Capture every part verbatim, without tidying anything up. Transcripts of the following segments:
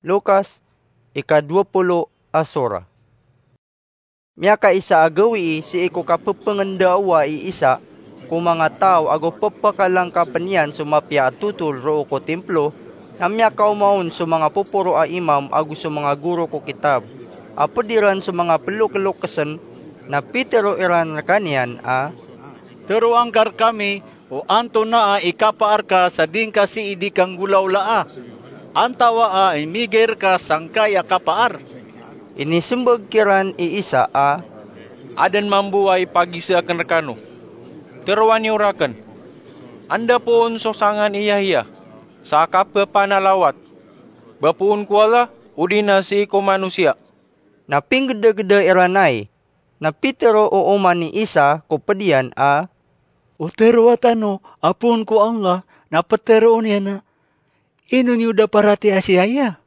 Lukas, ika dowa polo a sora. Miyakaisa a gawii sii ko kapepengendawa i Isa ko manga taw ago pepekalangkapen iyan so mapiya a totol roo ko timplo, na miyakaoma on so manga poporo a imam ago so manga goro ko kitab, a ped iran so manga pelokelokesen, na pitero iran rekaniyan a, "Teroa ngka rekami o antonaa i kapaar ka sa di ngka sii di kanggolawlaa? Antawaa i migay reka sangkai a kapaar?" Inisembag kiran i Isa a, "Aden mambo a ipagiza aken rekano. Teroa niyo raken. Anda poon so sangan i Yahya sa kapepanalawat? Ba poon ko Allah, odi na sii ko manosiya?" Na pinggedageda iran ai. Na pitero o oman i Isa ko ped iyan a, "O teroa tano a poon ko Allah, na peteroon iyan a, 'Ino niyo da paratiaya si Yahya?'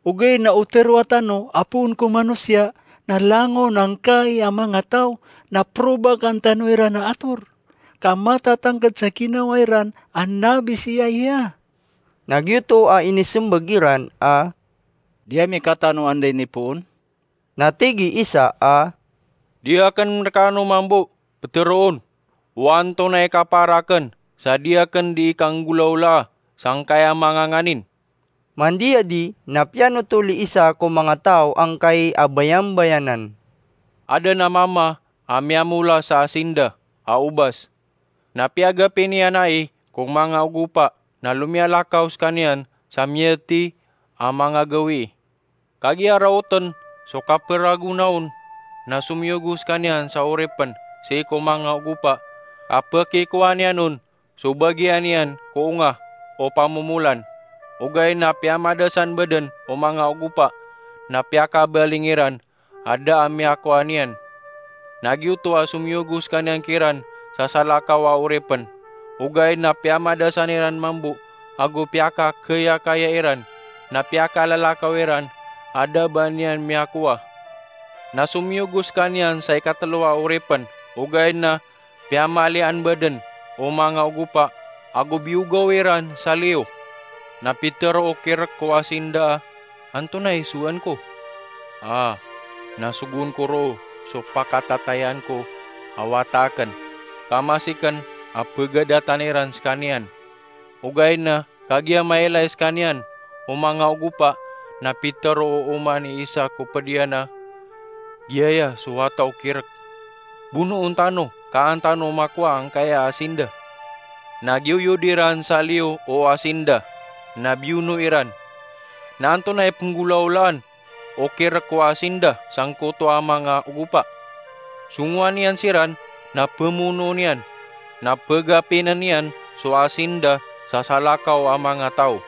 Ogaid na o teroa tano a poon ko manosiya, na langon angkai a manga taw, na perobakan tano iran a ator, ka matatangked sa ginawa iran a nabi si Yahya." Na giyoto a inisembag iran a, "Di ami katano anda inipoon." Na tig i Isa a, "Di aken rekano mambo peteroon o antonaa i kapaar aken sa di aken di ikanggolawlaa sangkai a manga nganin." Mandiyadi na piyanotol i Isa ko manga taw angkai a bayambayanan. Aden a mama a miyamola sa asinda a obas. Na piyagapi niyan ai ko manga ogopa na lomiyalakaw sekaniyan sa miyati a manga gawii. Kagiya raoten so kaperagona on, na somiyogo sekaniyan sa oripen sii ko manga ogopa, a pekikowa niyan on so bagian iyan ko onga o pamomolan. Ogaid na piyamadasan baden o manga ogopa, na piyakabaling iran a da a miyakowa niyan. Na giyoto a somiyogo sekaniyan kiran sa salakaw a oripen, ogaid na piyamadasan iran mambo ago piyakakayakaya iran, na piyakalalakaw iran a da ba niyan miyakowa. Na somiyogo sekaniyan sa ikatelo a oripen, ogaid na piyamalian baden o manga ogopa ago biyogaw iran sa liyo. Na pitero o kirek ko asinda a, "Antonaa i sowaan ko? A, na sogoon ko roo so pakatatayaan ko a wata aken, ka masiken a pegadatan iran sekaniyan." Ogaid na kagiya mailay sekaniyan o manga ogopa, na pitero o oman i Isa ko ped iyan a, "Giyaya so wata o kirek. Bonoon tano ka an tano makowa angkaya a asinda." Na giyoyod iran sa liyo o asinda, na biyono iran. Na antonaa i penggolawlaan o kirek ko asinda sangkoto a manga ogopa? Songowan iyan siran na pemonoon iyan, na pegapinen iyan so asinda sa salakaw a manga taw.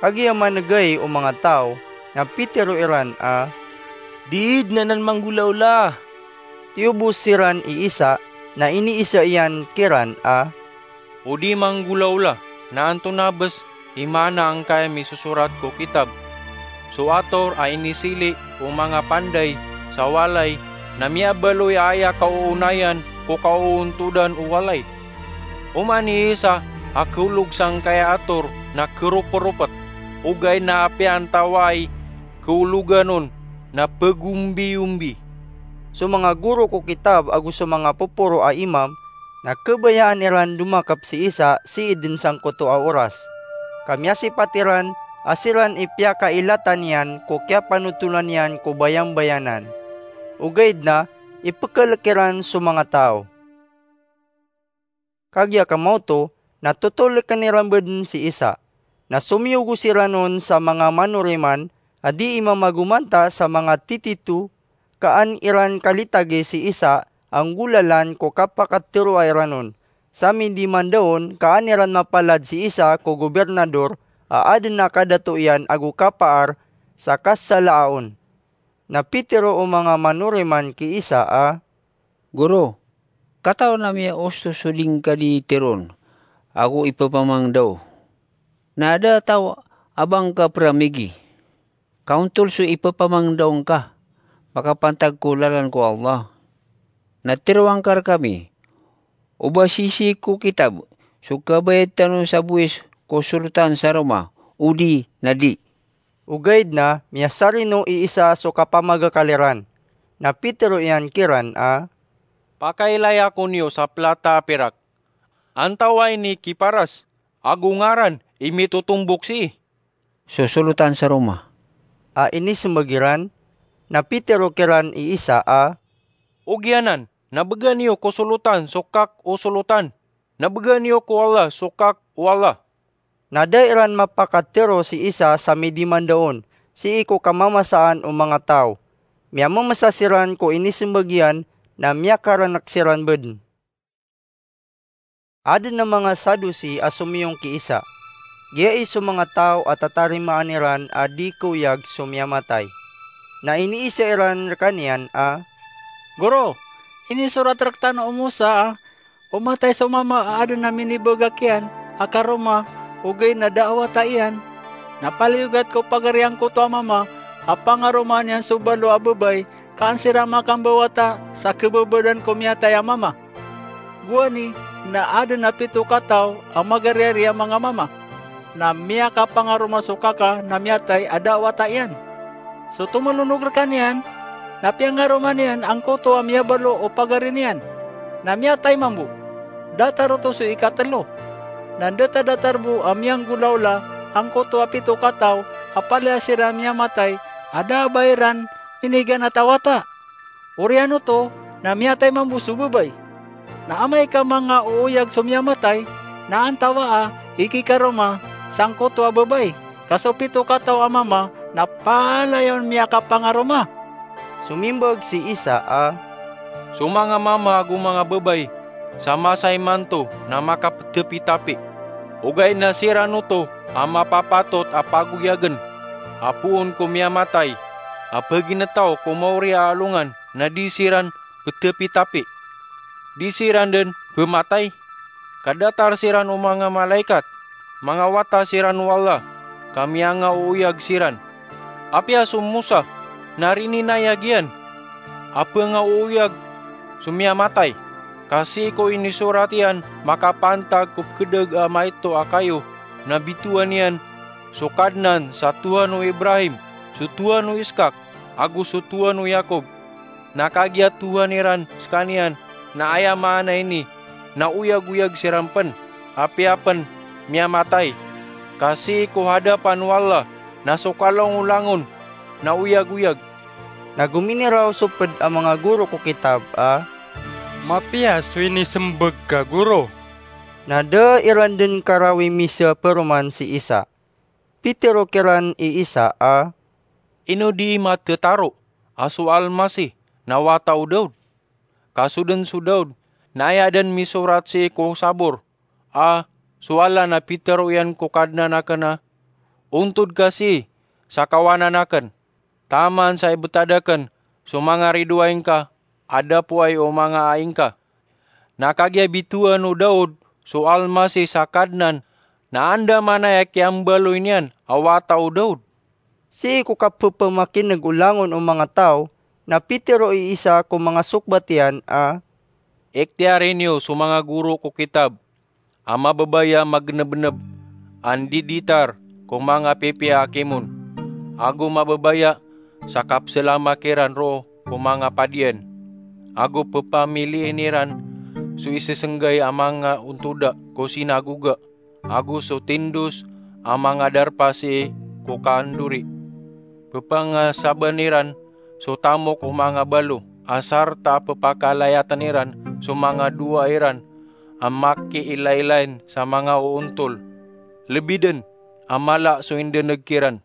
Kagiya manegay o manga taw, na pitero iran a, "Di den anan manggolawlaa." Tiyobos siran i Isa, na iniisa iyan kiran a, "O di manggolawla, na antonaa bes i maana angkaya misosorat ko kitab? So ator a inisili o manga panday sa walay, na miyabaloy a aya kaoonayan ko kaoontodan o walay. Oman i Isa a keolog sangkaya ator na keroperopet, ogaid na apiya antawaay keologan on na pegombiyombi." So manga goro ko kitab ago so manga poporo a imam na kebayaan iran domakep si Isa sii den sangkoto a oras, ka miyasipat iran a siran i piyakailatan iyan ko kiyapanotolan iyan ko bayambayanan. Ogaid na ipekelek iran so manga taw. Kagiya kamaoto, na totoliken iran baden si Isa. Na somiyogo siran on sa manga manoriman a dii mamagomanta sa manga titito, ka an iran kalitagi si Isa a nggolalan ko kapakateroa iran on. Sa mindiman da on ka an iran mapalad si Isa ko gobirnador a aden a kadato iyan ago kapaar sa kasalaa on. Na pitero o manga manoriman ki Isa a, "Goro, katawan ami a osto so di ngka di teroon ago ipepamangdaw. Na ada a taw a ba ngka peramigi, ka ontol so ipepamangdaw ngka makapantag ko lalan ko Allah. Na teroa ngka rekami o ba sisii ko kitab so kabayad tano sa bowis ko solotan sa Roma, odi na di." Ogaid na miyasarino i isa so kapamagakal iran. Na pitero iyan kiran a, "Pakailaya ko niyo sa plata a pirak. Antawaa ini kiparas, ago ngaran i mitotombok sii?" "Sosolotan sa roma," a inisembag iran. Na pitero kiran i isa a, "Ogiyanan, na bgan iyo ko solotan so kak o solotan, na bgan iyo ko Allah so kak o Allah." Na da iran mapakatero si isa sa midimandaon sii ko kamamasaan o manga taw. Miyamamasa siran ko inisembag iyan, na miyakaranak siran bdn. Adn a manga Sadusi a somiyong ki Isa. Giyai so manga taw a tatarimaan iran a di kaoyag so miyamatay. Na iniisa iran rkaniyan a, "Goro, inisorat rktano o Mosa a o matay so mama a adn a minibagak iyan a karoma ogaid na da a wata iyan, na paliyogat ko pagari angkoto a mama a pangaromaan iyan so balo a babay ka an siran makambawata sa khababadan ko miyatay a mama. Gowani na adn a pito kataw a magariyari a manga mama, na miyakapangaroma so kaka na miyatay a da a wata iyan. So tomolonog rkaniyan na piyangaroma niyan angkoto a miyabalo o pagari niyan, na miyatay mambo. Datar oto so ikatlo. Na da ta datar bo a miyanggolaola angkoto a pito kataw a palaya siran miyamatay a da a ba iran miniganat a wata. Oriyan oto na miyatay mambo so babay. Na amay ka manga ooyag so miyamatay, na antawaa i kikaroma sangkoto a babay, ka so pito kataw a mama na palaya on miyakapangaroma?" Somimbag si Isa a, "So manga mama ago manga babay sa masa imanto na makapdapitapi. Ogaid na siran oto a mapapatot a pagoyagn a poon ko miyamatay a pagintaw ko maori a alongan na di siran pdapitapi. Di siran dn pmatay, ka datar siran o manga malaikat. Manga wata siran o Allah, ka miyangaooyag siran. Apiya so Mosa na rininayag iyan a pngaooyag so miyamatay, ka sii ko inisorat iyan makapantag ko pkdg a maito a kayo na bitowan iyan so Kadnan sa Tohan o Ibrahim, so Tohan o Iskak, ago so Tohan o Yakob. Na kagiya Tohan iran skaniyan, na aya maana ini na oyagoyag siran pn, apiya pn miyamatay, ka sii ko hadapan o Allah na so kalongolangon na oyagoyag." Na gominiraw so pd a manga goro ko kitab a, "Mapiya so inismbag ka, Goro." Na da iran dn karawi miza paroman si Isa. Pitero kiran i Isa a, "Ino dii mathataro a so Almasih na wata o Daod? Ka so dn so Daod na aya dn misorat sii ko Sabor a so Allah na pitero iyan ko Kadnan akn a, 'Ontod ka sii sa kawanan akn, taman sa ibtad akn so manga ridoay ngka a da poay o manga ai ngka.' Na kagiya bitowan o Daod so Almasih sa Kadnan, na andamanaya kiyambaloy niyan a wata o Daod." Sii ko kapphamakin'g o langon o manga taw, na pitero i Isa ko manga sokbat iyan a, "Iktiyari niyo so manga goro ko kitab a mababaya magnbnb a ndiditar ko manga pipiya a kimon, ago mababaya sa kapslama kiran roo ko manga padian, ago pphamiliin iran so isisnggay a manga ontoda ko sinagoga, ago so tindos a manga darpa sii ko kandori. Pphangasaban iran so tamok o manga balo, a sarta a pphakalayatn iran so manga dowa iran a makiilailay sa manga oontol. Lbi dn a mala so indn'g kiran."